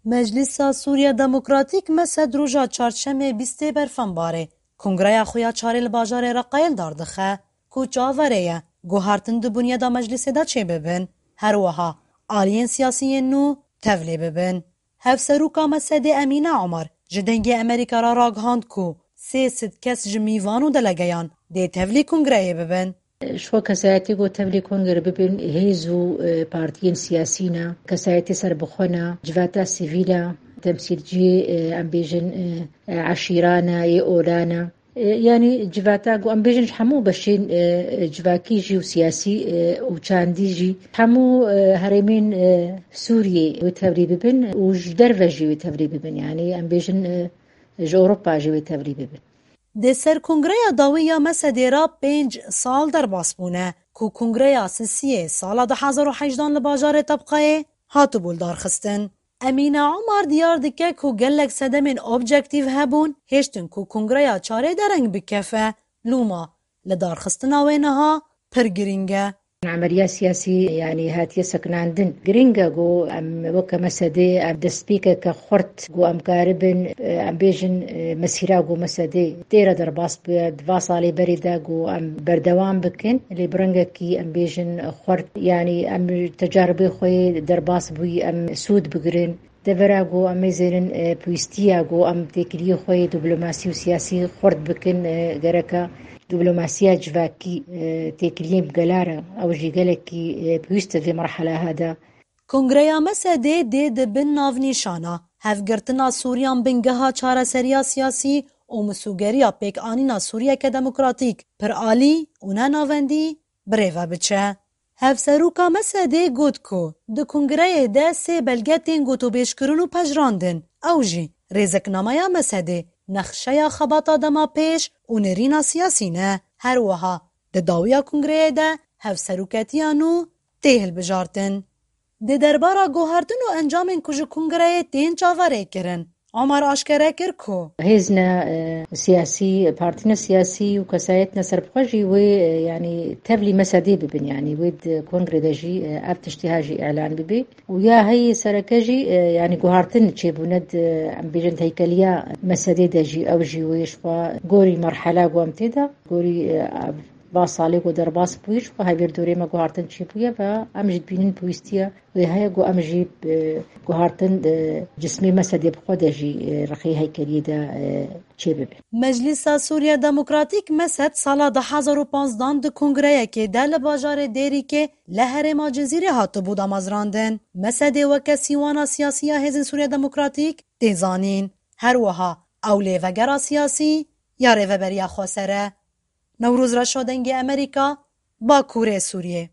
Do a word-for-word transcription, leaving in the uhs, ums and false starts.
Meclisa Sûriya Demokratîk, MESED, roja çarşemê bîstê Berfenbarê kongreya xwe ya çarê li bajarê Reqayê li dar dixe, ku çaverê ye guhartin di bunyada meclisê de çêbibin. Her wiha aliyên siyasî yên nû tevlî bibin. Hevserûka MESEDê Emîne Omar ji Dengê Amerîka re ragihand ku sê sed kes ji mîvan û delegeyan dê tevlî kongreyê bibin. Ji xwe kesayetê ku tevlî kongre bibin, hêz û, e, partiyên siyasî ne, kesayetê serbixwe ne, civata sivîl e, temsîlciyê, e, em bêjin, e, e, eşîra ne, yê ola ne. E, yanî civata ku em bêjin ji hemû beşên, e, e, civakî jî û siyasî, e, û çandî jî hemû, e, herêmên, e, Sûriyê wê tevlî bibin û ji derve jî wê tevlî bibin. Yanî em bêjin, e, ji Ewropa jî wê tevlî bibin. Di ser kongreya dawî ya MESEDê re pênc sal derbas bûne, ku kongreya sisiyê sala du hezar û hejdan li bajarê Tebqayê hatibû lidarxistin. Emîne Omar diyar dike ku gelek sedemên objektîf hebûn, hêştin ku kongreya çarê dereng bikefe. Lûma lidarxistina wê niha pir girîng e. Emeliya siyasî, yanî, hatiye sekinandin. Girîng e ku em weke MESEDê em destpêkeke xurt ku em karibin, e, em bêjin, e, mesîra ku MESEDê tê re derbas bûye, di va salê berê de ku em berdewam bikin. Lê bi rengekî em bêjin xurt, yanî, em tecaribê xwe yê derbas bûyî em sûd bigirin. Devera ku em ê zêrin, e, pêwîstiya ku em têkiliyê xwe yê diplomasî û siyasî xurt bikin, e, gereke diplomasiya civakî, e, têkiliyên bi gela re, ew jî gelekî, e, pêwîst e vê merheleha de. Kongreya MESEDê dê di bin navnîşana hevgirtina Sûriyan bingeha çareseriya siyasî û misûgeriya pêkanîna Sûriyeke demokratîk pir alî û ne navendî bi rê ve biçe. Hevserûka MESEDê got ku di kongreyê de sê belge tên gotûbêjkirin û pejirandin. Ew jî rêziknameya MESEDê, nexşeya xebata dema pêş û nêrîna siyasî ne. Her wiha di dawiya kongreyê de hevseroketiya nû tê hilbijartin. Di derbara guhertin û encamên ku ji kongreyê tên çaverê kirin, Omar aşkere kir ku hêz ne, e, siyasî, partî ne siyasî û kesayet ne serbixwe jî wê, e, yanî tevlî MESEDê bibin, yanî wê di kongrê de jî, e, ev tiştî ha jî îlan bibe. Û ya heyî sereke jî, e, yanî guhartin çêbûne di, em bêjin, heykeliya MESEDê de jî, ew jî wê ji xwe gorî merhela ku em tê de, gorî, e, va salê ku derbas bûyî, ji xwe hevêr dorê me guhartin çêbûye ve em jî dibînin pêwîstiye wê heye ku em jî, e, guhartin, e, cismê MESEDê bi xwe de jî, e, rexê heykeliyê de, e, çêbibe. Meclisa Sûriya Demokratîk, MESED, sala du hezar û panzdan di kongreyekê de li bajarê Dêrîkê li herêma Cizîrê hatibû damezrandin. MESEDê weke sîwana siyasî ya Hêzên Sûriya Demokratîk tê zanîn. Her wiha ew lêvegera siyasî ya Rêveberiya Xweser e. Newroz Reşo, Dengê Amerîka, Bakurê Sûriyê.